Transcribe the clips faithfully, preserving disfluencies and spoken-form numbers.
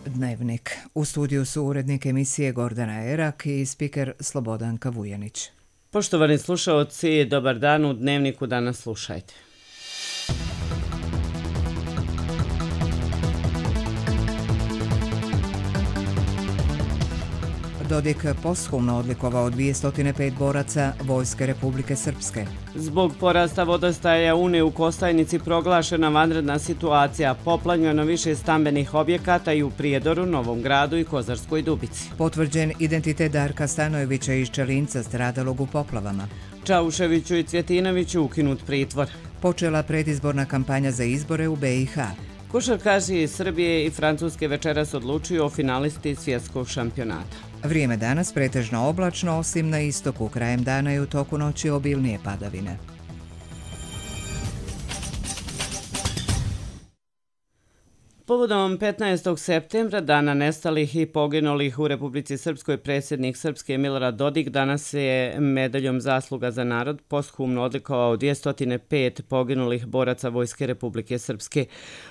Dnevnik. U studiju su urednik emisije Gordana Erak i spiker Slobodanka Vujanić. Poštovani slušaoci, dobar dan, u Dnevniku danas slušajte. Dodik posthumno odlikovao dvjesto pet boraca Vojske Republike Srpske. Zbog porasta vodostaja Une u Kostajnici proglašena vanredna situacija, poplavljeno više stambenih objekata i u Prijedoru, Novom Gradu i Kozarskoj Dubici. Potvrđen identitet Darka Stanojevića iz Čelinca stradalog u poplavama. Čauševiću i Cvjetinoviću ukinut pritvor. Počela predizborna kampanja za izbore u be i ha. Košarkaši iz Srbije i Francuske večeras odlučuju o finalisti svjetskog šampionata. Vrijeme danas pretežno oblačno, osim na istoku, krajem dana i u toku noći obilnije padavine. Povodom petnaestog septembra, dana nestalih i poginulih u Republici Srpskoj, predsjednik Srpske Milorad Dodik danas je medaljom Zasluga za narod posthumno odlikovao dvjesto pet poginulih boraca Vojske Republike Srpske.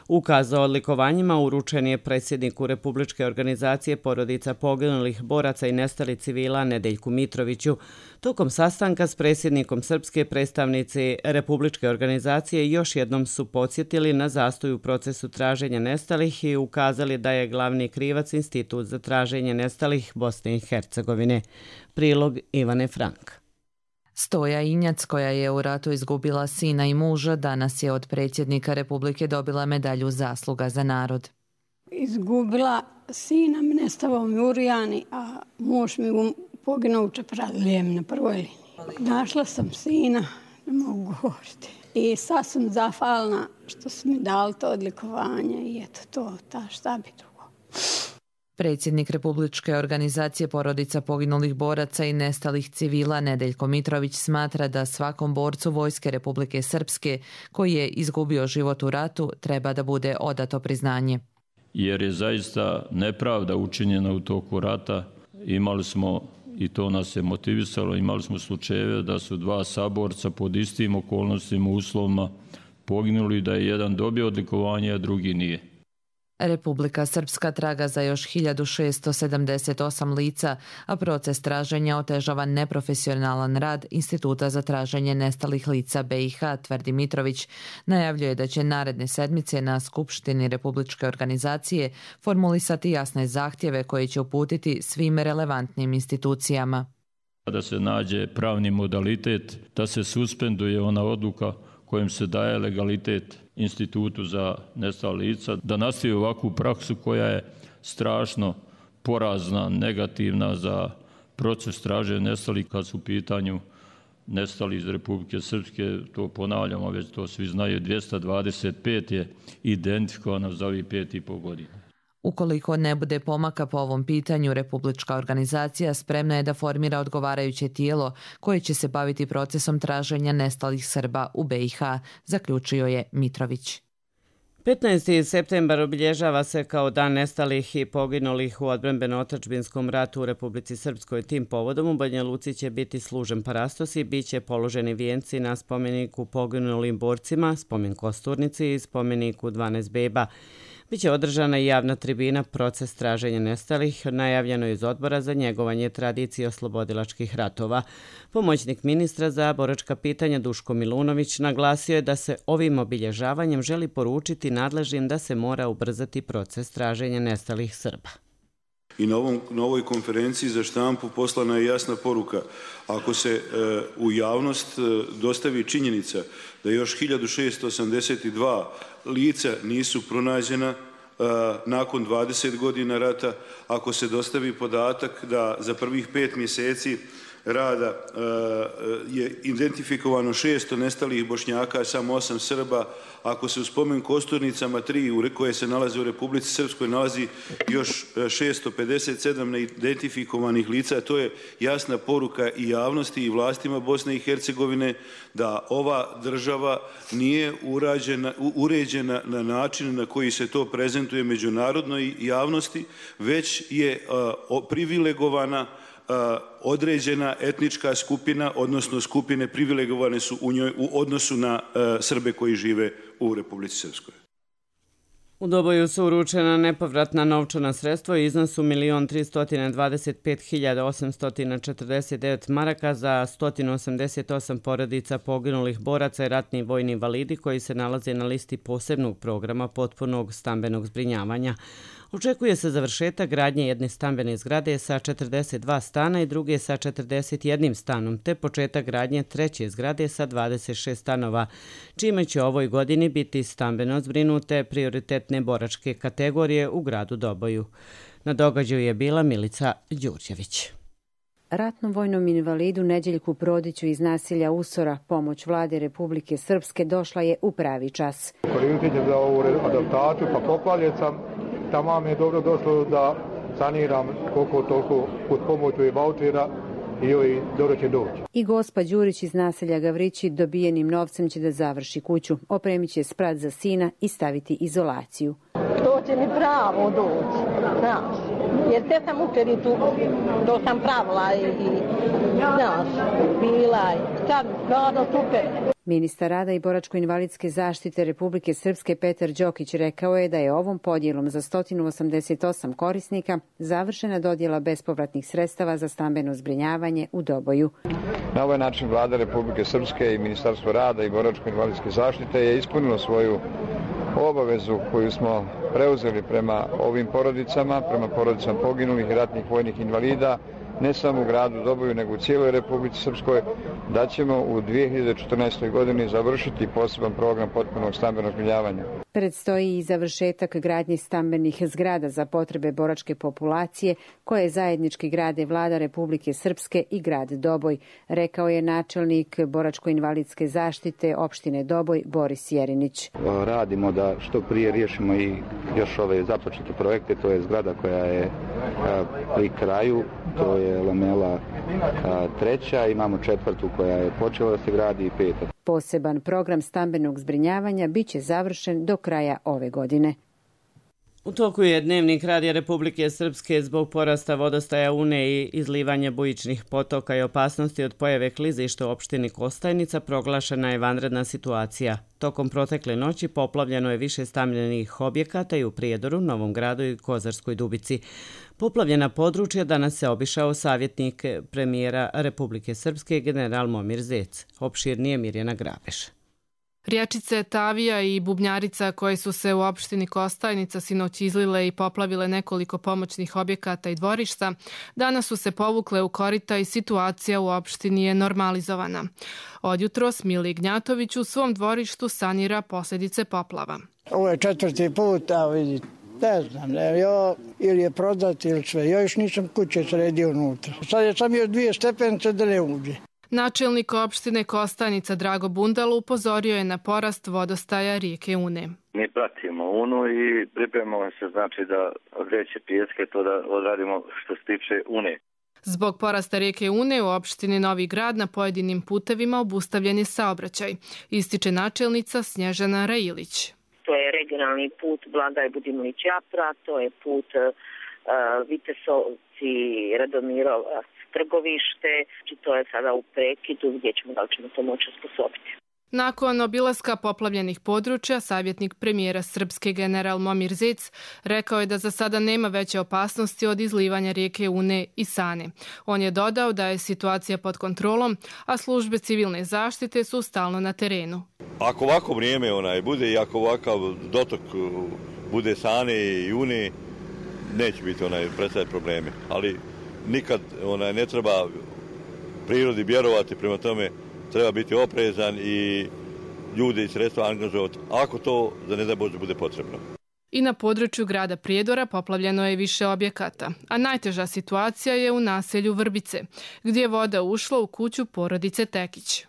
Ukaz o odlikovanjima uručen je predsjedniku Republičke organizacije porodica poginulih boraca i nestalih civila Nedeljku Mitroviću. Tokom sastanka s predsjednikom Srpske, predstavnici Republičke organizacije još jednom su podsjetili na zastoj u procesu traženja nestalih i ukazali da je glavni krivac Institut za traženje nestalih Bosne i Hercegovine. Prilog Ivane Frank. Stoja Injac, koja je u ratu izgubila sina i muža, danas je od predsjednika Republike dobila medalju Zasluga za narod. Izgubila sina, nestao mi u Rijani, a muž mi poginuo u Čepradlijem na prvoj liniji. Našla sam sina, ne mogu govoriti. I sad sam zahvalna što su mi dali to odlikovanje i eto to, ta šta bi drugo. Predsjednik Republičke organizacije porodica poginulih boraca i nestalih civila Nedeljko Mitrović smatra da svakom borcu Vojske Republike Srpske koji je izgubio život u ratu treba da bude odato priznanje. Jer je zaista nepravda učinjena u toku rata. Imali smo, i to nas je motivisalo, imali smo slučajeve da su dva saborca pod istim okolnostima, uslovima poginuli, da je jedan dobio odlikovanje, a drugi nije. Republika Srpska traga za još hiljadu šesto sedamdeset osam lica, a proces traženja otežava neprofesionalan rad Instituta za traženje nestalih lica be i ha, tvrdi Mitrović. Najavljuje da će naredne sedmice na Skupštini Republičke organizacije formulisati jasne zahtjeve koje će uputiti svim relevantnim institucijama. Da se nađe pravni modalitet, da se suspenduje ona odluka kojim se daje legalitet Institutu za nestala lica, da nastavi ovakvu praksu koja je strašno porazna, negativna za proces traženja nestalih kad su u pitanju nestali iz Republike Srpske. To ponavljamo, već to svi znaju, dvjesto dvadeset pet je identifikovano za ovih pet i pol godina. Ukoliko ne bude pomaka po ovom pitanju, Republička organizacija spremna je da formira odgovarajuće tijelo koje će se baviti procesom traženja nestalih Srba u be i ha, zaključio je Mitrović. petnaesti septembar obilježava se kao dan nestalih i poginulih u odbrambeno-otadžbinskom ratu u Republici Srpskoj. Tim povodom u Banja Luci će biti služen parastos i bit će položeni vijenci na spomeniku poginulim borcima, spomen Kosturnici i spomeniku dvanaest beba. Biće održana i javna tribina Proces traženja nestalih, najavljeno iz Odbora za njegovanje tradicije oslobodilačkih ratova. Pomoćnik ministra za boračka pitanja Duško Milunović naglasio je da se ovim obilježavanjem želi poručiti nadležnim da se mora ubrzati proces traženja nestalih Srba. I na, ovom, na ovoj konferenciji za štampu poslana je jasna poruka. Ako se e, u javnost e, dostavi činjenica da još hiljadu šesto osamdeset dva lica nisu pronađena e, nakon dvadeset godina rata, ako se dostavi podatak da za prvih pet mjeseci rada e, je identifikovano šesto nestalih Bošnjaka, samo osam Srba, ako se u spomen Kosturnicama tri koje se nalaze u Republici Srpskoj nalazi još šesto pedeset sedam neidentifikovanih lica, to je jasna poruka i javnosti i vlastima Bosne i Hercegovine da ova država nije urađena, uređena na način na koji se to prezentuje međunarodnoj javnosti, već je uh, privilegovana Uh, određena etnička skupina, odnosno skupine privilegovane su u njoj u odnosu na uh, Srbe koji žive u Republici Srpskoj. U Doboju su uručena nepovratna novčana sredstva u iznosu milion tristo dvadeset pet hiljada osamsto četrdeset devet maraka za sto osamdeset osam porodica poginulih boraca i ratni vojni invalidi koji se nalaze na listi posebnog programa potpunog stambenog zbrinjavanja. Očekuje se završetak gradnje jedne stambene zgrade sa četrdeset dva stana i druge sa četrdeset jednim stanom, te početak gradnje treće zgrade sa dvadeset šest stanova, čime će ovoj godini biti stambeno zbrinute prioritetne boračke kategorije u gradu Doboju. Na događaju je bila Milica Đurđević. Ratnom vojnom invalidu Neđeljku Prodiću iz naselja Usora pomoć vlade Republike Srpske došla je u pravi čas. Koristit za ovu adaptaciju, pa poplavljen sam. Tamo mi je dobro došlo da saniram koliko toliko pod pomoću i vaučera i joj dobro će doći. I gospa Đurić iz naselja Gavrići dobijenim novcem će da završi kuću. Opremit će sprat za sina i staviti izolaciju. To će mi pravo doći, znaš, jer te sam učericu, to sam pravila i, znaš, bila je, sad stvarno super. Ministar rada i boračko-invalidske zaštite Republike Srpske Petar Đokić rekao je da je ovom podjelom za sto osamdeset osam korisnika završena dodjela bespovratnih sredstava za stambeno zbrinjavanje u Doboju. Na ovaj način vlada Republike Srpske i Ministarstvo rada i boračko-invalidske zaštite je ispunilo svoju obavezu koju smo preuzeli prema ovim porodicama, prema porodicama poginulih i ratnih vojnih invalida, ne samo u gradu Doboju, nego u cijeloj Republici Srpskoj, da ćemo u dvije hiljade četrnaestoj. godini završiti poseban program potpunog stambenog zbrinjavanja. Predstoji i završetak gradnje stambenih zgrada za potrebe boračke populacije koje zajednički grade vlada Republike Srpske i grad Doboj, rekao je načelnik boračko-invalidske zaštite opštine Doboj Boris Jerinić. Radimo da što prije riješimo i još ove započete projekte, to je zgrada koja je pri kraju, to je lamela treća, imamo četvrtu koja je počela da se gradi i peta. Poseban program stambenog zbrinjavanja biće završen do kraja ove godine. U toku je Dnevnik Radija Republike Srpske zbog porasta vodostaja Une i izlivanja bujičnih potoka i opasnosti od pojave klizišta u opštini Kostajnica proglašena je vanredna situacija. Tokom protekle noći poplavljeno je više stambenih objekata i u Prijedoru, Novom Gradu i Kozarskoj Dubici. Poplavljena područja danas se obišao savjetnik premijera Republike Srpske general Momir Zec. Opširnije Mirjana Grabeš. Riječice Tavija i Bubnjarica koje su se u opštini Kostajnica sinoć izlile i poplavile nekoliko pomoćnih objekata i dvorišta, danas su se povukle u korita i situacija u opštini je normalizovana. Odjutros Mili Gnjatović u svom dvorištu sanira posljedice poplava. Ovo je četvrti put, a vidite, ne znam, ne, jo, ili je prodati ili sve. Ja još nisam kuće sredio unutra. Sad je sam još dvije stepenice da ne uđe. Načelnik opštine Kostajnica Drago Bundalo upozorio je na porast vodostaja rijeke Une. Mi pratimo Unu i pripremamo se znači da vreće pijeske to da odradimo što se tiče Une. Zbog porasta rijeke Une u opštini Novi Grad na pojedinim putevima obustavljen je saobraćaj, ističe načelnica Snježana Railić. To je regionalni put Blagaj Budimlić-Japra, to je put uh, Vitesovci-Radomirovac Trgovište, i to je sada u prekidu gdje ćemo, da li ćemo to moći osposobiti. Nakon obilaska poplavljenih područja, savjetnik premijera Srpske general Momir Zec rekao je da za sada nema veće opasnosti od izlivanja rijeke Une i Sane. On je dodao da je situacija pod kontrolom, a službe civilne zaštite su stalno na terenu. Ako ovako vrijeme onaj bude i ako ovakav dotok bude Sane i Une, neće biti onaj predstavljati probleme, ali nikad onaj ne treba prirodi vjerovati, prema tome treba biti oprezan i ljude i sredstva angažovati ako to za ne da Bože bude potrebno. I na području grada Prijedora poplavljeno je više objekata, a najteža situacija je u naselju Vrbice, gdje je voda ušla u kuću porodice Tekić.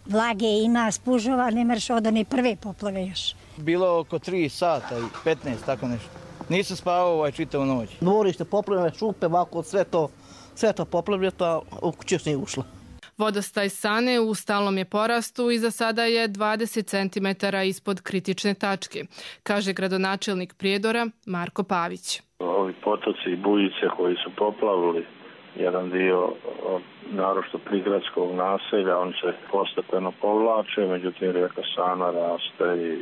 Vlage ima, spužova, ne mreš od one prve poplave još. Bilo oko tri sata i petnaest, tako nešto. Nisam spavao ovaj čitavu noć. Dvorište poplavljene, šupe, ovako, sve to, sve to poplavljeno, a u kuću još nije ušla. Vodostaj Sane u stalnom je porastu i za sada je dvadeset centimetara ispod kritične tačke, kaže gradonačelnik Prijedora Marko Pavić. Ovi potoci i bujice koji su poplavili jedan dio naročito prigradskog naselja, on se postepeno povlače, međutim rijeka Sana raste i,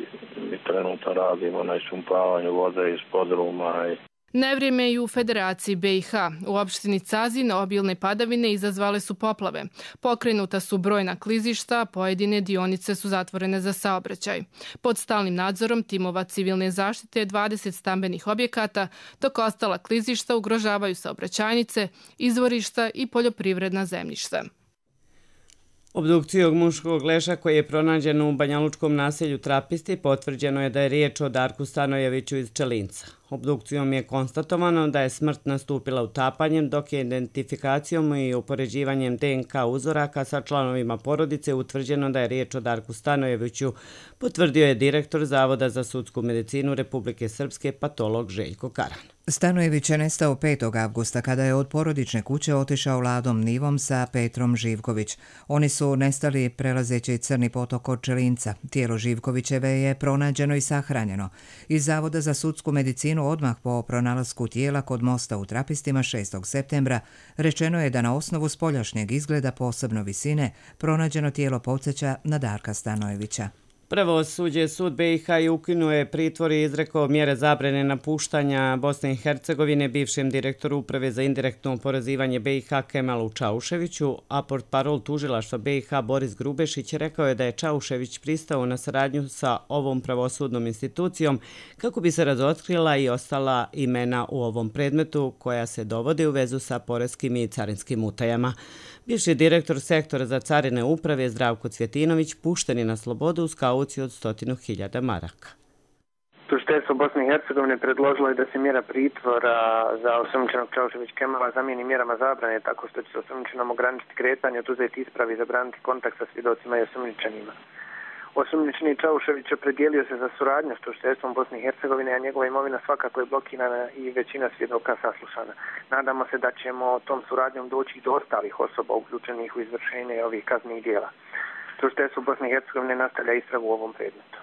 i trenutno radimo na ispumpavanju vode iz podruma. I... Nevrijeme i u Federaciji B i H. U opštini Cazin obilne padavine izazvale su poplave. Pokrenuta su brojna klizišta, pojedine dionice su zatvorene za saobraćaj. Pod stalnim nadzorom timova civilne zaštite dvadeset stambenih objekata, dok ostala klizišta ugrožavaju saobraćajnice, izvorišta i poljoprivredna zemljišta. Obdukcijom muškog leša koji je pronađen u banjalučkom naselju Trapisti potvrđeno je da je riječ o Darku Stanojeviću iz Čelinca. Obdukcijom je konstatovano da je smrt nastupila utapanjem, dok je identifikacijom i upoređivanjem D N K uzoraka sa članovima porodice utvrđeno da je riječ o Darku Stanojeviću, potvrdio je direktor Zavoda za sudsku medicinu Republike Srpske patolog Željko Karan. Stanojević je nestao petog avgusta kada je od porodične kuće otišao Ladom Nivom sa Petrom Živković. Oni su nestali prelazeći Crni potok od Čelinca. Tijelo Živkovićeve je pronađeno i sahranjeno. Iz Zavoda za sudsku medicinu odmah po pronalasku tijela kod mosta u Trapistima šestog septembra rečeno je da na osnovu spoljašnjeg izgleda, posebno visine, pronađeno tijelo podsjeća na Darka Stanojevića. Pravosuđe sud B i H ukinuo je pritvor i izrekao mjere zabrane napuštanja Bosne i Hercegovine bivšem direktoru Uprave za indirektno oporezivanje B i H Kemalu Čauševiću, a portparol tužilaštva B i H Boris Grubešić rekao je da je Čaušević pristao na saradnju sa ovom pravosudnom institucijom kako bi se razotkrila i ostala imena u ovom predmetu koja se dovode u vezu sa poreskim i carinskim utajama. Bivši direktor sektora za carine uprave Zdravko Cvjetinović pušten je na slobodu uz kauciju od stotinu hiljada maraka. Tužiteljstvo Bosne i Hercegovine predložilo je da se mjera pritvora za osumnjičenog Čaušević Kemala zamijeni mjerama zabrane tako što će se osumnjičenom ograničiti kretanje, oduzeti ispravi i zabraniti kontakt sa svjedocima i osumnjičenima. Osumnjičeni Čaušević opredijelio se za suradnju s tužiteljstvom Bosne i Hercegovine, a njegova imovina svakako je blokirana i većina svjedoka saslušana. Nadamo se da ćemo tom suradnjom doći do ostalih osoba uključenih u izvršenje ovih kaznenih dijela. Tužiteljstvo Bosne i Hercegovine nastavlja istragu u ovom predmetu.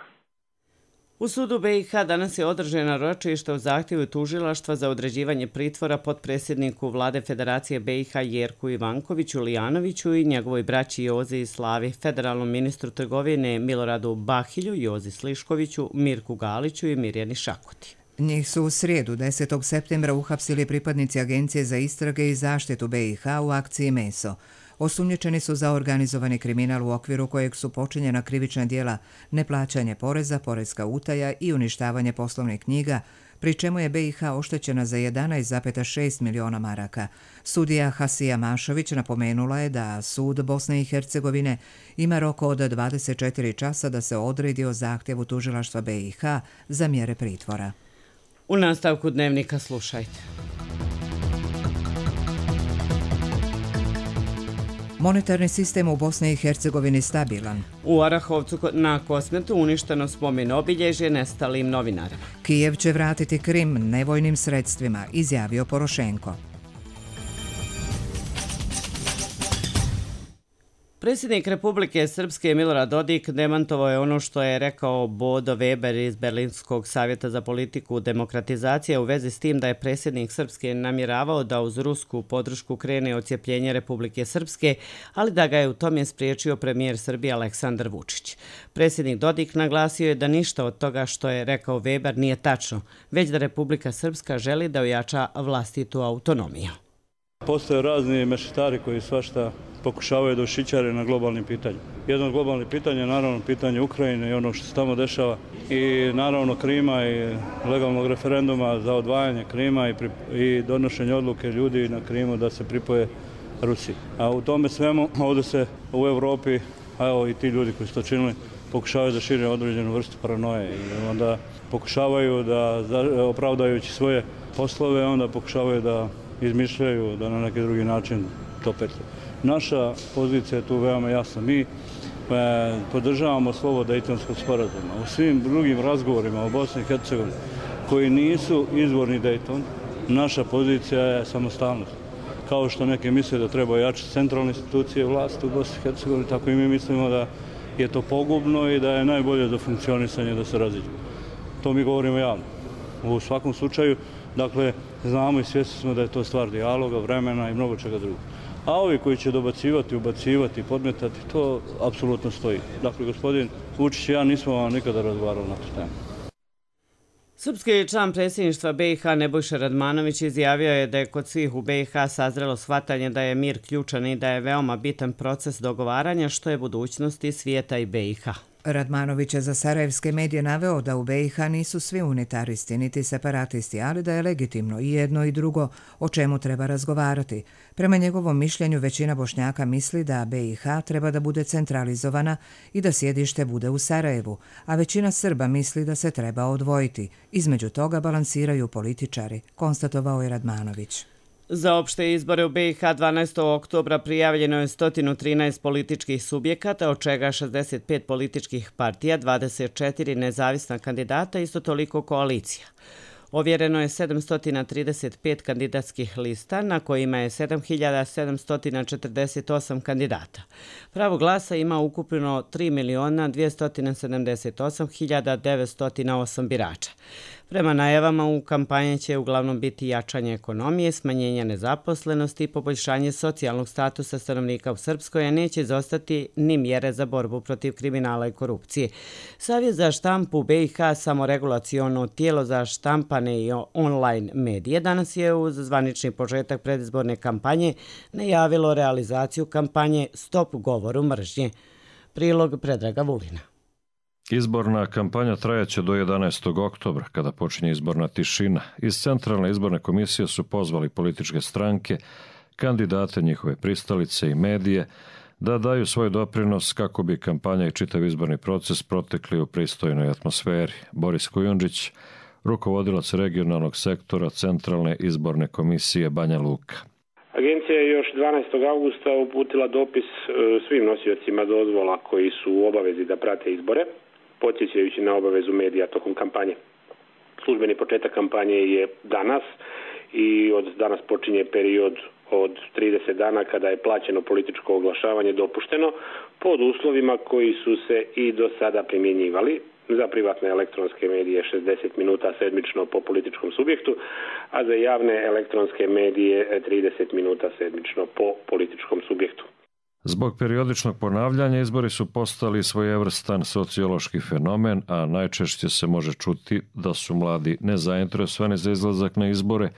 U sudu B i H danas je održano ročište o zahtjevu tužilaštva za određivanje pritvora potpredsjedniku vlade Federacije B i H Jerku Ivankoviću Lijanoviću i njegovoj braći Jozi i Slavi, federalnom ministru trgovine Miloradu Bahilju, Jozi Sliškoviću, Mirku Galiću i Mirjani Šakuti. Njih su u srijedu desetog septembra uhapsili pripadnici Agencije za istrage i zaštitu B i H u akciji Meso. Osumnjičeni su za organizovani kriminal u okviru kojeg su počinjena krivična djela neplaćanje poreza, porezka utaja i uništavanje poslovnih knjiga, pri čemu je B i H oštećena za jedanaest zarez šest miliona maraka. Sudija Hasija Mašović napomenula je da sud Bosne i Hercegovine ima rok od dvadeset četiri časa da se odredi o zahtjevu tužilaštva B i H za mjere pritvora. U nastavku dnevnika slušajte. Monetarni sistem u Bosni i Hercegovini stabilan. U Arahovcu na Kosmetu uništeno spomen obilježje nestalim novinarima. Kijev će vratiti Krim nevojnim sredstvima, izjavio Porošenko. Predsjednik Republike Srpske Milorad Dodik demantovao je ono što je rekao Bodo Weber iz Berlinskog savjeta za politiku demokratizacije u vezi s tim da je predsjednik Srpske namjeravao da uz rusku podršku krene odcijepljenje Republike Srpske, ali da ga je u tome spriječio premijer Srbije Aleksandar Vučić. Predsjednik Dodik naglasio je da ništa od toga što je rekao Weber nije tačno, već da Republika Srpska želi da ojača vlastitu autonomiju. Postoje razni mešetari koji svašta pokušavaju da ušićare na globalnim pitanjima. Jedno od globalnih pitanja je naravno pitanje Ukrajine i ono što se tamo dešava i naravno Krima i legalnog referenduma za odvajanje Krima i, pri, i donošenje odluke ljudi na Krimu da se pripoje Rusiji. A u tome svemu ovdje se u Evropi, a evo i ti ljudi koji su to činili, pokušavaju da šire određenu vrstu paranoje i onda pokušavaju da, opravdajući svoje poslove, onda pokušavaju da izmišljaju da na neki drugi način to petljaju. Naša pozicija je tu veoma jasna. Mi e, podržavamo slovo Dejtonskog sporazuma. U svim drugim razgovorima o Bosni i Hercegovini koji nisu izvorni Dejton, naša pozicija je samostalnost. Kao što neki misle da treba jačati centralne institucije vlasti u Bosni i Hercegovini, tako i mi mislimo da je to pogubno i da je najbolje za funkcionisanje da se raziđe. To mi govorimo javno. U svakom slučaju Dakle, znamo i svjesni smo da je to stvar dijaloga, vremena i mnogo čega drugog. A ovi koji će dobacivati, ubacivati, podmetati, to apsolutno stoji. Dakle, gospodin Vučić i ja nismo vam nikada razgovarali na tu temu. Srpski član predsjedništva B i H Nebojša Radmanović izjavio je da je kod svih u B i H sazrelo shvatanje da je mir ključan i da je veoma bitan proces dogovaranja što je budućnosti svijeta i B i H. Radmanović je za sarajevske medije naveo da u B i H nisu svi unitaristi niti separatisti, ali da je legitimno i jedno i drugo o čemu treba razgovarati. Prema njegovom mišljenju većina Bošnjaka misli da B i H treba da bude centralizovana i da sjedište bude u Sarajevu, a većina Srba misli da se treba odvojiti. Između toga balansiraju političari, konstatovao je Radmanović. Za opšte izbore u B i H dvanaestog oktobra prijavljeno je sto trinaest političkih subjekata, od čega šezdeset pet političkih partija, dvadeset četiri nezavisna kandidata i isto toliko koalicija. Ovjereno je sedamsto trideset pet kandidatskih lista, na kojima je sedam hiljada sedamsto četrdeset osam kandidata. Pravo glasa ima ukupno tri miliona dvjesto sedamdeset osam hiljada devetsto osam birača. Prema najavama u kampanji će uglavnom biti jačanje ekonomije, smanjenje nezaposlenosti i poboljšanje socijalnog statusa stanovnika u Srpskoj, a neće izostati ni mjere za borbu protiv kriminala i korupcije. Savjet za štampu B i H, samoregulaciono tijelo za štampane i online medije, danas je uz zvanični početak predizborne kampanje najavilo realizaciju kampanje Stop govoru mržnje. Prilog Predraga Vulina. Izborna kampanja trajaće do jedanaestog oktobra, kada počinje izborna tišina. Iz Centralne izborne komisije su pozvali političke stranke, kandidate, njihove pristalice i medije da daju svoj doprinos kako bi kampanja i čitav izborni proces protekli u pristojnoj atmosferi. Boris Kujundžić, rukovodilac regionalnog sektora Centralne izborne komisije Banja Luka. Agencija je još dvanaestog augusta uputila dopis svim nosiocima dozvola koji su u obavezi da prate izbore, podsjećajući na obavezu medija tokom kampanje. Službeni početak kampanje je danas i od danas počinje period od trideset dana kada je plaćeno političko oglašavanje dopušteno pod uslovima koji su se i do sada primjenjivali. Za privatne elektronske medije šezdeset minuta sedmično po političkom subjektu, a za javne elektronske medije trideset minuta sedmično po političkom subjektu. Zbog periodičnog ponavljanja izbori su postali svojevrstan sociološki fenomen, a najčešće se može čuti da su mladi nezainteresovani za izlazak na izbore,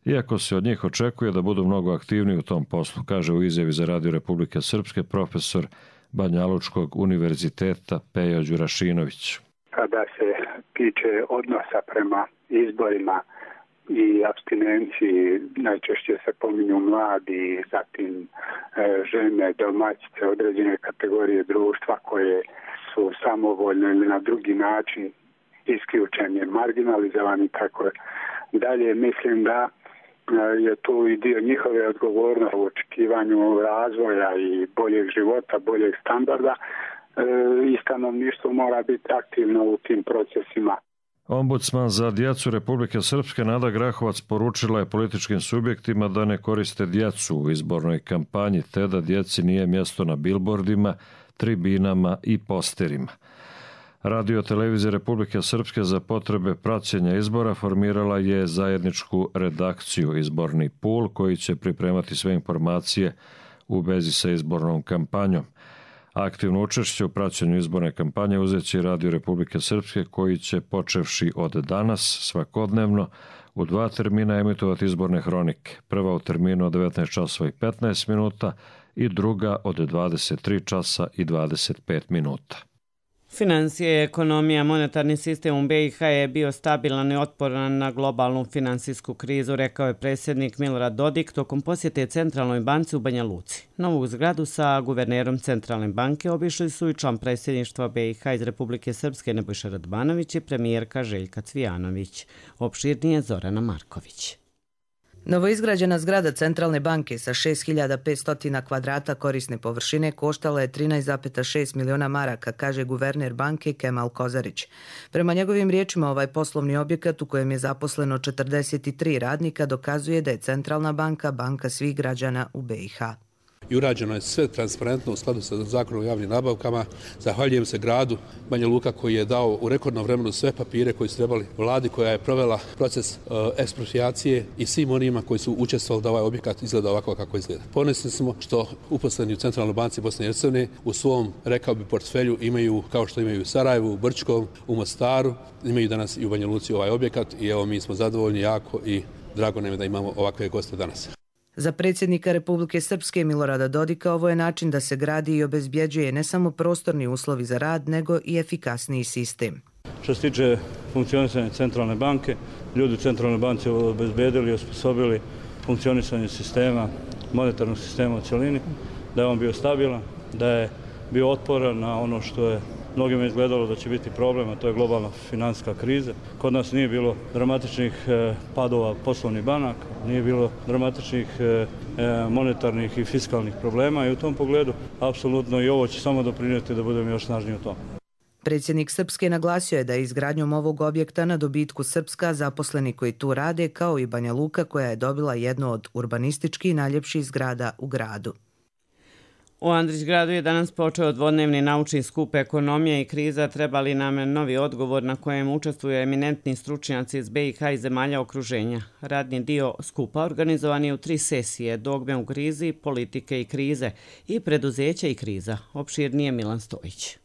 iako se od njih očekuje da budu mnogo aktivniji u tom poslu, kaže u izjavi za Radio Republike Srpske profesor Banjalučkog univerziteta Pejo Đurašinović. Kada se tiče odnosa prema izborima i apstinenciji, najčešće se pominju mladi, zatim e, žene, domaćice, određene kategorije društva koje su samovoljno ili na drugi način isključeni, marginalizovani, tako dalje. Mislim da je tu i dio njihove odgovornosti u očekivanju razvoja i boljeg života, boljeg standarda. I stanovništvo mora biti aktivno u tim procesima. Ombudsman za djecu Republike Srpske Nada Grahovac poručila je političkim subjektima da ne koriste djecu u izbornoj kampanji, te da djeci nije mjesto na bilbordima, tribinama i posterima. Radio televizija Republike Srpske za potrebe praćenja izbora formirala je zajedničku redakciju Izborni pul koji će pripremati sve informacije u vezi sa izbornom kampanjom. Aktivno učešće u praćenju izborne kampanje uzet će Radio Republike Srpske koji će, počevši od danas, svakodnevno u dva termina emitovati izborne hronike. Prva u terminu od devetnaest časova i petnaest minuta i druga od dvadeset tri časa i dvadeset pet minuta. Financije, ekonomija, monetarni sistem u B i H je bio stabilan i otporan na globalnu finansijsku krizu, rekao je predsjednik Milorad Dodik tokom posjete Centralnoj banci u Banja Luci. Novu zgradu sa guvernerom Centralne banke obišli su i član predsjedništva B i H iz Republike Srpske Nebojša Radmanović i premijerka Željka Cvijanović. Opširnije Zorana Marković. Novoizgrađena zgrada Centralne banke sa šest hiljada petsto kvadrata korisne površine koštala je trinaest zarez šest miliona maraka, kaže guverner banke Kemal Kozarić. Prema njegovim riječima, ovaj poslovni objekat u kojem je zaposleno četrdeset tri radnika dokazuje da je Centralna banka banka svih građana u B i H. i urađeno je sve transparentno u skladu sa zakonom o javnim nabavkama. Zahvaljujem se gradu Banja Luka koji je dao u rekordnom vremenu sve papire koji su trebali vladi koja je provela proces uh, eksproprijacije i svim onima koji su učestvovali da ovaj objekat izgleda ovako kako izgleda. Ponosni smo što uposleni u Centralnoj banci Bosne i Hercegovine u svom, rekao bi, portfelju imaju, kao što imaju u Sarajevu, u Brčkom, u Mostaru, imaju danas i u Banja Luci ovaj objekat i evo mi smo zadovoljni jako i drago nam je da imamo ovakve goste danas. Za predsjednika Republike Srpske Milorada Dodika ovo je način da se gradi i obezbjeđuje ne samo prostorni uslovi za rad, nego i efikasniji sistem. Što se tiče funkcionisanja Centralne banke, ljudi u Centralnoj banci obezbedili i osposobili funkcionisanje sistema, monetarnog sistema u cjelini, da je on bio stabilan, da je bio otporan na ono što je mnogima izgledalo da će biti problem, a to je globalna financijska kriza. Kod nas nije bilo dramatičnih padova poslovnih banaka, nije bilo dramatičnih monetarnih i fiskalnih problema i u tom pogledu apsolutno i ovo će samo doprinijeti da budemo još snažniji u tom. Predsjednik Srpske naglasio je da je izgradnjom ovog objekta na dobitku Srpska, zaposleni koji tu rade, kao i Banja Luka koja je dobila jednu od urbanistički najljepših zgrada u gradu. U Andrićgradu je danas počeo dvodnevni naučni skup Ekonomija i kriza, treba li nam novi odgovor na kojem učestvuju eminentni stručnjaci iz be i ha i zemalja okruženja. Radni dio skupa organizovan je u tri sesije, dogme u krizi, politike i krize i preduzeća i kriza. Opširnije Milan Stojić.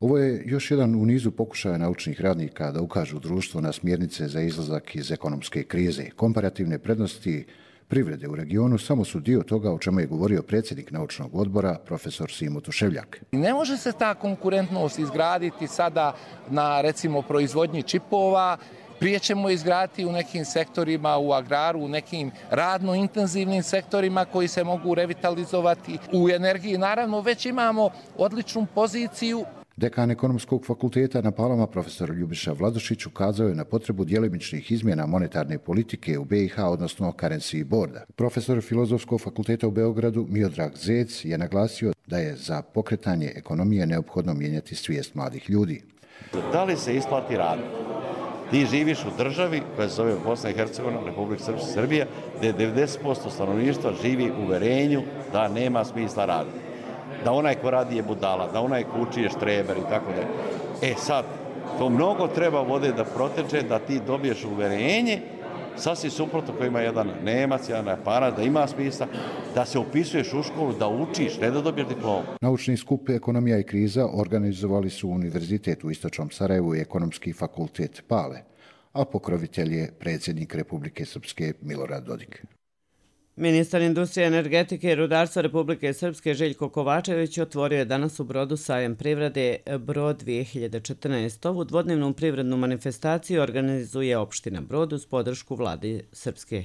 Ovo je još jedan u nizu pokušaja naučnih radnika da ukažu društvu na smjernice za izlazak iz ekonomske krize. Komparativne prednosti privrede u regionu samo su dio toga o čemu je govorio predsjednik naučnog odbora, profesor Simo Tuševljak. Ne može se ta konkurentnost izgraditi sada na, recimo, proizvodnji čipova. Prije ćemo izgraditi u nekim sektorima, u agraru, u nekim radno intenzivnim sektorima koji se mogu revitalizovati. U energiji naravno već imamo odličnu poziciju. Dekan Ekonomskog fakulteta na Palama, profesor Ljubiša Vladušić, ukazao je na potrebu djelimičnih izmjena monetarne politike u be i ha, odnosno currency boarda. Profesor Filozofskog fakulteta u Beogradu, Miodrag Zec, je naglasio da je za pokretanje ekonomije neophodno mijenjati svijest mladih ljudi. Da li se isplati raditi? Ti živiš u državi koja se zove Bosna i Hercegovina, Republika Srbija, gdje devedeset posto stanovništva živi u uverenju da nema smisla raditi. Da onaj ko radi je budala, da onaj ko uči je štreber i tako da. E sad, to mnogo treba vode da proteče, da ti dobiješ uverenje, sasvim suprotno koji ima jedan Nemac, jedan Japanac, da ima smisla, da se upisuješ u školu, da učiš, ne da dobiješ diplomu. Naučni skup Ekonomija i kriza organizovali su Univerzitet u Istočnom Sarajevu i Ekonomski fakultet Pale, a pokrovitelj je predsjednik Republike Srpske Milorad Dodik. Ministar industrije, energetike i rudarstva Republike Srpske Željko Kovačević otvorio je danas u Brodu sajam privrede Brod dvije hiljade četrnaest. Ovu dvodnevnu privrednu manifestaciju organizuje opština Brod uz podršku vlade Srpske.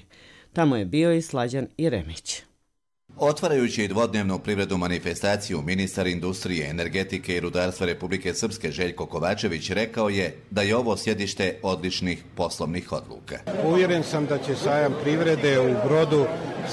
Tamo je bio i Slađan Jeremić. Otvarajući dvodnevnu privrednu manifestaciju, ministar industrije, energetike i rudarstva Republike Srpske Željko Kovačević rekao je da je ovo sjedište odličnih poslovnih odluka. Uvjeren sam da će sajam privrede u Brodu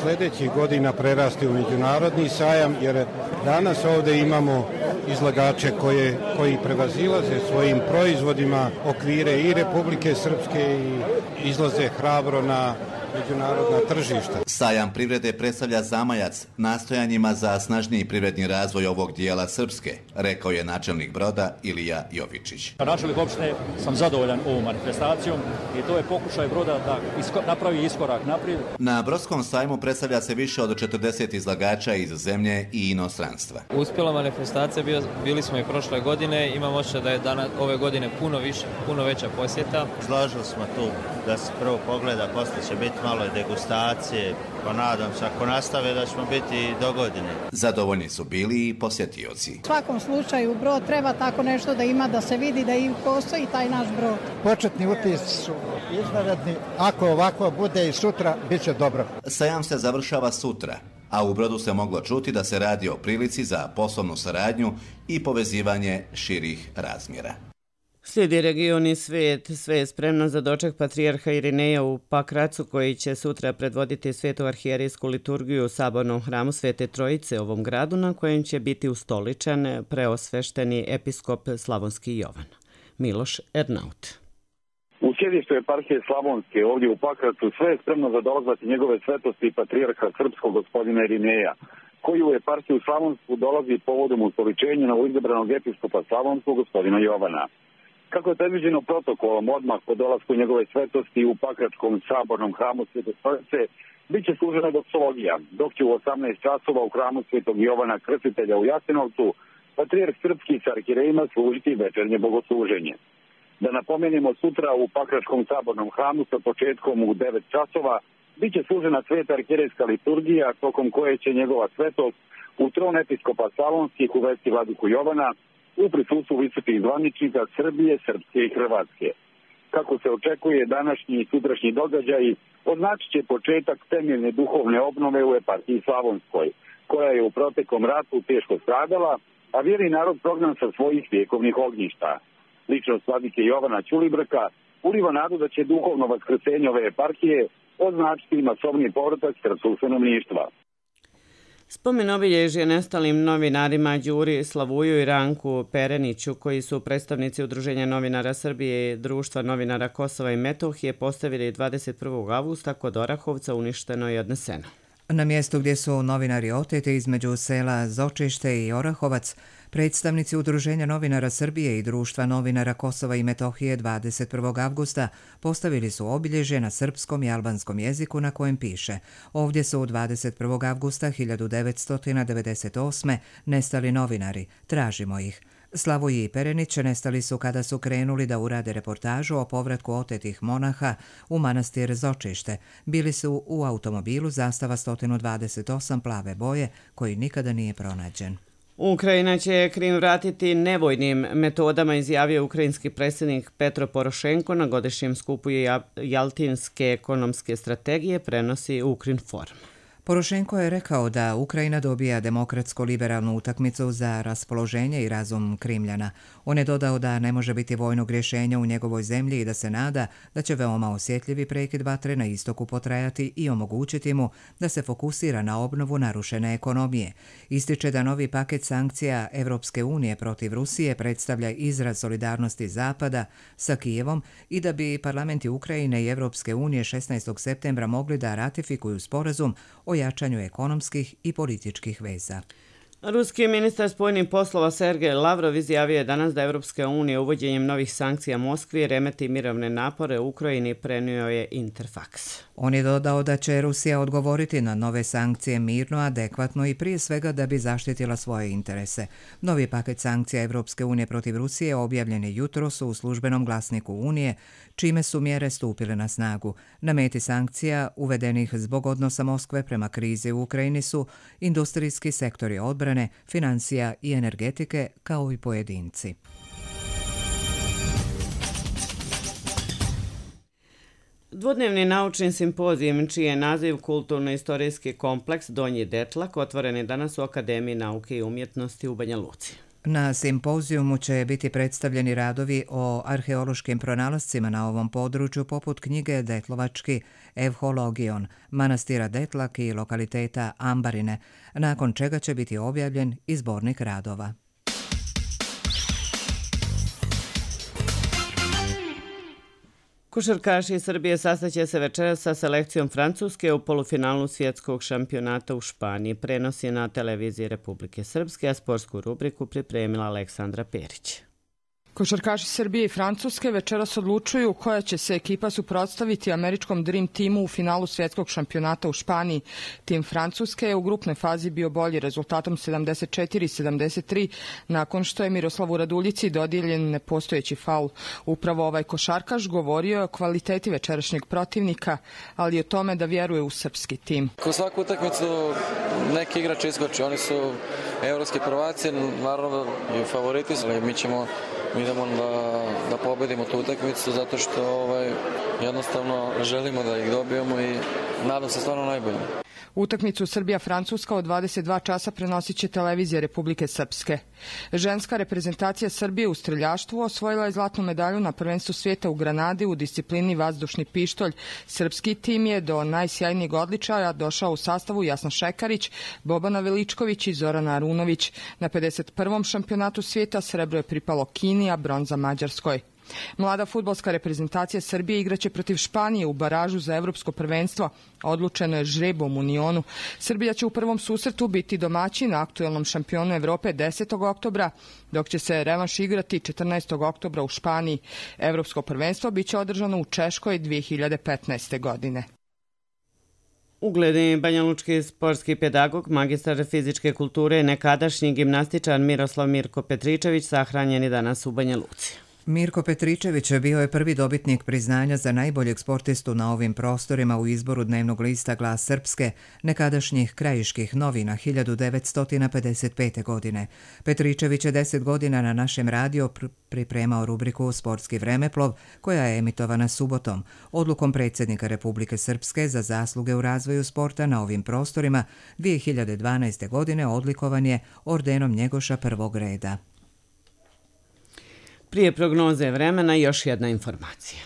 sljedećih godina prerasti u međunarodni sajam, jer danas ovdje imamo izlagače koje, koji prevazilaze svojim proizvodima okvire i Republike Srpske i izlaze hrabro na međunarodna tržišta. Sajam privrede predstavlja zamajac nastojanjima za snažniji privredni razvoj ovog dijela Srpske, rekao je načelnik Broda Ilija Jovičić. Načelnik opštine sam zadovoljan ovom manifestacijom i to je pokušaj Broda da isko, napravi iskorak naprijed. Na Brodskom sajmu predstavlja se više od četrdeset izlagača iz zemlje i inostranstva. Uspjela manifestacija, bio, bili smo i prošle godine, imam osjećaj da je danas, ove godine puno više, puno veća posjeta. Složili smo tu da se prvo pogleda, poslije će biti malo degustacije, pa nadam se ako nastave da ćemo biti do godine. Zadovoljni su bili i posjetioci. U svakom slučaju Brod treba tako nešto da ima, da se vidi da i postoji taj naš Brod. Početni utisci su izvanredni, ako ovako bude i sutra, bit će dobro. Sajam se završava sutra, a u Brodu se moglo čuti da se radi o prilici za poslovnu saradnju i povezivanje širih razmjera. Slijedi region i svijet. Sve je spremno za doček patrijarha Irineja u Pakracu, koji će sutra predvoditi svetu arhijerijsku liturgiju u sabornom hramu Svete Trojice u ovom gradu, na kojem će biti ustoličan preosvešteni episkop Slavonski Jovan. Miloš Ernaut. U sjedištu eparhije Slavonske ovdje u Pakracu sve je spremno za dolazak njegove svetosti patrijarha srpskog gospodina Irineja. koji u eparhiju Slavonsku dolazi povodom ustoličenja novoizabranog episkopa Slavonskog gospodina Jovana. Kako je predviđeno protokolom odmah po dolasku njegove svetosti u Pakračkom sabornom hramu Svete Stolice, bit će služena doksologija, dok će u osamnaest časova u hramu Svetog Jovana Krstitelja u Jasenovcu patrijarh srpski s arhirejima služiti večernje bogosluženje. Da napomenemo, sutra u Pakračkom sabornom hramu sa početkom u devet časova bit će služena sveta arhirejska liturgija, tokom koje će njegova svetost u tron episkopa Slavonskih uvesti vladiku Jovana u prisustvu visokih zvaničnika Srbije, Srpske i Hrvatske. Kako se očekuje, današnji i sutrašnji događaji označit će početak temeljne duhovne obnove u eparhiji Slavonskoj, koja je u proteklom ratu teško stradala, a vjerni narod prognan sa svojih vjekovnih ognjišta. Ličnost vladike Jovana Ćulibrka uliva nadu da će duhovno vaskrsenje ove eparhije označiti masovni povratak srpskog stanovništva. Spomen obilježje nestalim novinarima Đuri Slavuju i Ranku Pereniću, koji su predstavnici Udruženja novinara Srbije i Društva novinara Kosova i Metohije, postavili dvadeset prvog avgusta kod Orahovca, uništeno i odneseno. Na mjestu gdje su novinari oteti između sela Zočište i Orahovac, predstavnici Udruženja novinara Srbije i Društva novinara Kosova i Metohije dvadeset prvog avgusta postavili su obilježje na srpskom i albanskom jeziku na kojem piše: ovdje su dvadeset prvog avgusta hiljadu devetsto devedeset osme nestali novinari, tražimo ih. Slavoj i Perenić nestali su kada su krenuli da urade reportažu o povratku otetih monaha u manastir Zočište. Bili su u automobilu zastava sto dvadeset osam plave boje koji nikada nije pronađen. Ukrajina će Krim vratiti nevojnim metodama, izjavio ukrajinski predsjednik Petro Porošenko na godišnjem skupu Jaltinske ekonomske strategije, prenosi Ukrinform. Porošenko je rekao da Ukrajina dobija demokratsko-liberalnu utakmicu za raspoloženje i razum Krimljana. On je dodao da ne može biti vojnog rješenja u njegovoj zemlji i da se nada da će veoma osjetljivi prekid vatre na istoku potrajati i omogućiti mu da se fokusira na obnovu narušene ekonomije. Ističe da novi paket sankcija Evropske unije protiv Rusije predstavlja izraz solidarnosti Zapada sa Kijevom i da bi parlamenti Ukrajine i Evropske unije šesnaestog septembra mogli da ratifikuju sporazum o jačanju ekonomskih i političkih veza. Ruski ministar spoljnih poslova Sergej Lavrov izjavio je danas da Evropska unija uvođenjem novih sankcija Moskvi remeti mirovne napore u Ukrajini, prenio je Interfax. On je dodao da će Rusija odgovoriti na nove sankcije mirno, adekvatno i prije svega da bi zaštitila svoje interese. Novi paket sankcija Evropske unije protiv Rusije objavljen je jutros u službenom glasniku Unije, čime su mjere stupile na snagu. Na meti sankcija uvedenih zbog odnosa Moskve prema krizi u Ukrajini su industrijski sektori odbrane, financija i energetike, kao i pojedinci. Dvodnevni naučni simpozijum, čiji je naziv Kulturno-istorijski kompleks Donji Detlak, otvoren je danas u Akademiji nauke i umjetnosti u Banja Luci. Na simpozijumu će biti predstavljeni radovi o arheološkim pronalascima na ovom području, poput knjige Detlovački Evhologion, manastira Detlak i lokaliteta Ambarine, nakon čega će biti objavljen i zbornik radova. Košarkaši Srbije sastaće se večeras sa selekcijom Francuske u polufinalu svjetskog šampionata u Španiji. Prenosi na televiziji Republike Srpske, a sportsku rubriku pripremila Aleksandra Perić. Košarkaši Srbije i Francuske večeras odlučuju koja će se ekipa suprotstaviti američkom Dream Teamu u finalu svjetskog šampionata u Španiji. Tim Francuske je u grupnoj fazi bio bolji rezultatom sedamdeset četiri sedamdeset tri nakon što je Miroslavu Raduljici dodijeljen nepostojeći faul. Upravo ovaj košarkaš govorio je o kvaliteti večerašnjeg protivnika, ali i o tome da vjeruje u srpski tim. Ko svaku utakmicu neki igrač iskoči, oni su evropski prvaci, naravno i favoriti, ali mi ćemo Mi idemo da, da pobedimo tu utakmicu zato što ovaj, jednostavno želimo da ih dobijemo i nadam se stvarno najbolje. Utakmicu Srbija-Francuska od dvadeset dva časa prenosit će televizija Republike Srpske. Ženska reprezentacija Srbije u streljaštvu osvojila je zlatnu medalju na prvenstvu svijeta u Granadi u disciplini vazdušni pištolj. Srpski tim je do najsjajnijeg odličaja došao u sastavu Jasna Šekarić, Bobana Veličković i Zorana Arunović. Na pedeset prvom šampionatu svijeta srebro je pripalo Kini, a bronza Mađarskoj. Mlada fudbalska reprezentacija Srbije igraće protiv Španije u baražu za evropsko prvenstvo. Odlučeno je žrebom u Nionu. Srbija će u prvom susretu biti domaćin na aktuelnom šampionu Evrope desetog oktobra, dok će se revanš igrati četrnaestog oktobra u Španiji. Evropsko prvenstvo biće održano u Češkoj dvije hiljade petnaeste. godine. Ugledni banjalučki sportski pedagog, magistar fizičke kulture i nekadašnji gimnastičar Miroslav Mirko Petričević sahranjen je danas u Banja Luci. Mirko Petričević bio je prvi dobitnik priznanja za najboljeg sportistu na ovim prostorima u izboru dnevnog lista Glas Srpske, nekadašnjih krajiških novina hiljadu devetsto pedeset pete. godine. Petričević je deset godina na našem radiju pripremao rubriku Sportski vremeplov, koja je emitovana subotom. Odlukom predsjednika Republike Srpske za zasluge u razvoju sporta na ovim prostorima dvije hiljade dvanaeste. godine odlikovan je ordenom Njegoša prvog reda. Prije prognoze vremena još jedna informacija.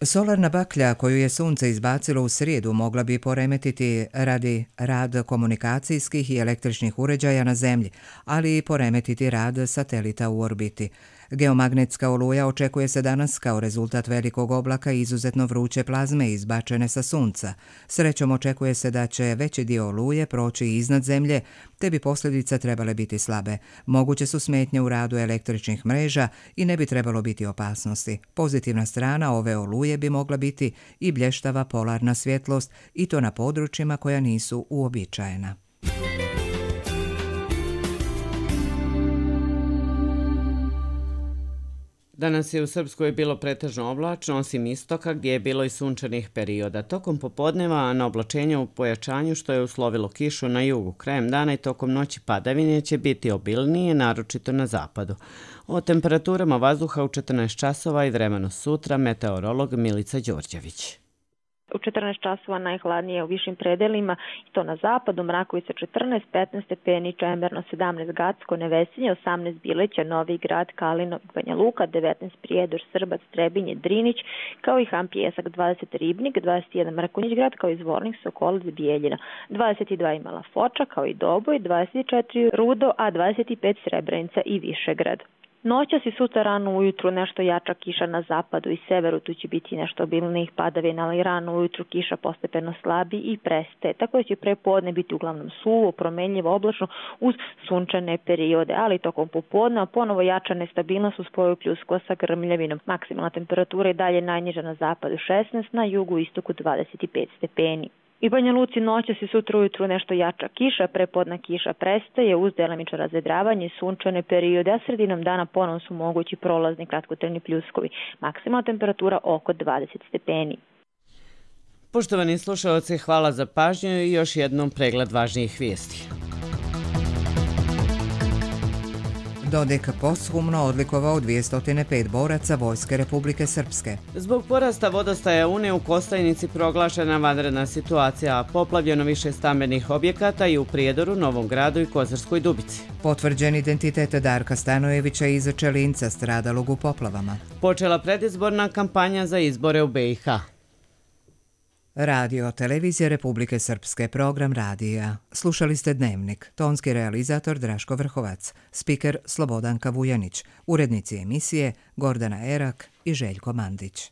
Solarna baklja koju je sunce izbacilo u srijedu mogla bi poremetiti radi rad komunikacijskih i električnih uređaja na zemlji, ali i poremetiti rad satelita u orbiti. Geomagnetska oluja očekuje se danas kao rezultat velikog oblaka i izuzetno vruće plazme izbačene sa sunca. Srećom očekuje se da će veći dio oluje proći iznad zemlje, te bi posljedice trebale biti slabe. Moguće su smetnje u radu električnih mreža i ne bi trebalo biti opasnosti. Pozitivna strana ove oluje bi mogla biti i blještava polarna svjetlost, i to na područjima koja nisu uobičajena. Danas je u Srpskoj bilo pretežno oblačno, osim istoka gdje je bilo i sunčanih perioda. Tokom popodneva na oblačenju u pojačanju, što je uslovilo kišu na jugu. Krajem dana i tokom noći padavine će biti obilnije, naročito na zapadu. O temperaturama vazduha u četrnaest časova i vremenu sutra meteorolog Milica Đorđević. U četrnaest časova najhladnije u višim predelima, i to na zapadu, Mrakovica četrnaest, petnaest stepeni, Čemerno sedamnaest, Gacko, Nevesinje osamnaest, Bileća, Novi Grad, Kalino, Banja Luka, devetnaest, Prijedor, Srbac, Trebinje, Drinić, kao i Han Pjesak, dvadeset, Ribnik, dvadeset jedan, Mrkonjić Grad, kao i Zvornik, Sokolac, Bijeljina, dvadeset dva Mala Foča, kao i Doboj, dvadeset četiri Rudo, a dvadeset pet Srebrenica i Višegrad. Noćas i sutra rano ujutru nešto jača kiša na zapadu i severu, tu će biti nešto obilnijih padavina, ali rano ujutru kiša postepeno slabi i prestaje. Tako da će prepodne biti uglavnom suvo, promenljivo, oblačno uz sunčane periode, ali tokom popodne ponovo jača nestabilnost uz spoju pljuskova sa grmljavinom. Maksimalna temperatura je dalje najniža na zapadu šesnaest, na jugu i istoku dvadeset pet stepeni. I Banja Luci noćas i sutra ujutru nešto jača kiša, prepodna kiša prestaje uz delimično razvedravanje i sunčane periode, a sredinom dana ponovno su mogući prolazni kratkotrajni pljuskovi. Maksimalna temperatura oko dvadeset stepeni. Poštovani slušalci, hvala za pažnju i još jednom pregled važnijih vijesti. Dodik posthumno odlikovao dvjesto pet boraca Vojske Republike Srpske. Zbog porasta vodostaja Une u Kostajnici proglašena vanredna situacija, poplavljeno više stambenih objekata i u Prijedoru, Novom Gradu i Kozarskoj Dubici. Potvrđen identitet Darka Stanojevića iz Čelinca, stradalog u poplavama. Počela predizborna kampanja za izbore u be i ha. Radio Televizija Republike Srpske, program radija. Slušali ste Dnevnik, tonski realizator Draško Vrhovac, spiker Slobodanka Vujanić, urednici emisije Gordana Erak i Željko Mandić.